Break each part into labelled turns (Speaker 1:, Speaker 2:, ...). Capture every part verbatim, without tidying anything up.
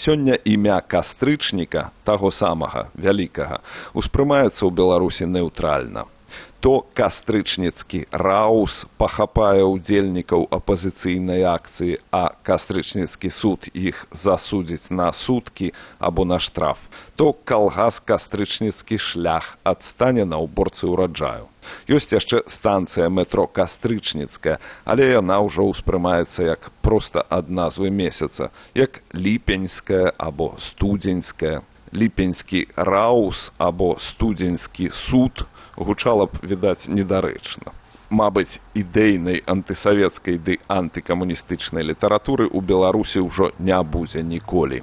Speaker 1: Сёння імя кастрычніка, таго самага, вялікага, успрымаецца ў Беларусі неўтральна. То кастрычніцкі раус пахапае ўдзельнікаў апазіцыйнай акцыі, а кастрычніцкі суд іх засудзіць на суткі або на штраф, то калгас кастрычніцкі шлях адстане на ўборцы ўраджаю. Ёсць яшчэ станцыя метро Кастрычніцкая, але яна ўжо ўспрымаецца як проста ад назвы месяца, як ліпеньская або студзеньская. Ліпеньскі раус або студзеньскі суд гучала б, відаць, недарэчна. Мабыць, ідэйнай антысавецкай ды антыкамуністычнай літаратуры ў Беларусі ўжо не будзе ніколі.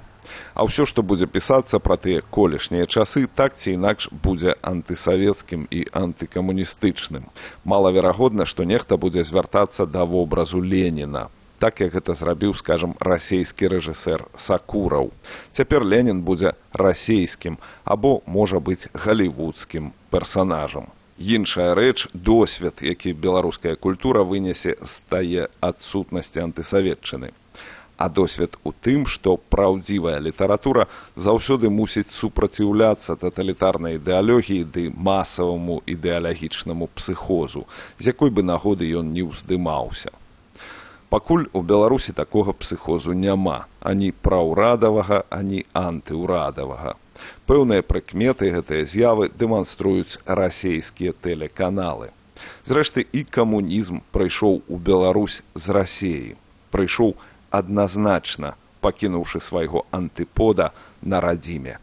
Speaker 1: А ўсё, што будзе пісацца пра тыя колішнія часы, так ці інакш будзе антысавецкім і антыкамуністычным. Малаверагодна, што нехта будзе звяртацца да вобразу Леніна, так як гэта зрабіў, скажам, расейскі рэжысэр Сакураў. Цяпер Ленін будзе расейскім або, можа быць, галівудскім персанажам. Іншая рэч – досвед, які беларуская культура вынесе з тае адсутнасці антысаветчыны. А досвед у тым, што праўдзівая літаратура заўсёды мусіць супраціўляцца таталітарнай ідэалогіі ды масаваму ідэалагічнаму псіхозу, з якой бы нагоды ён не ўздымаўся. Пакуль у Беларусі такога псіхозу няма, ані праўрадавага, ані антыўрадавага. Пэўныя прыкметы гэтыя з'явы дэманструюць расейскія тэлеканалы. Зрэшты, і камунізм прыйшоў у Беларусь з Расеі. Прыйшоў адназначна, пакінуўшы свайго антыпода на радзіме.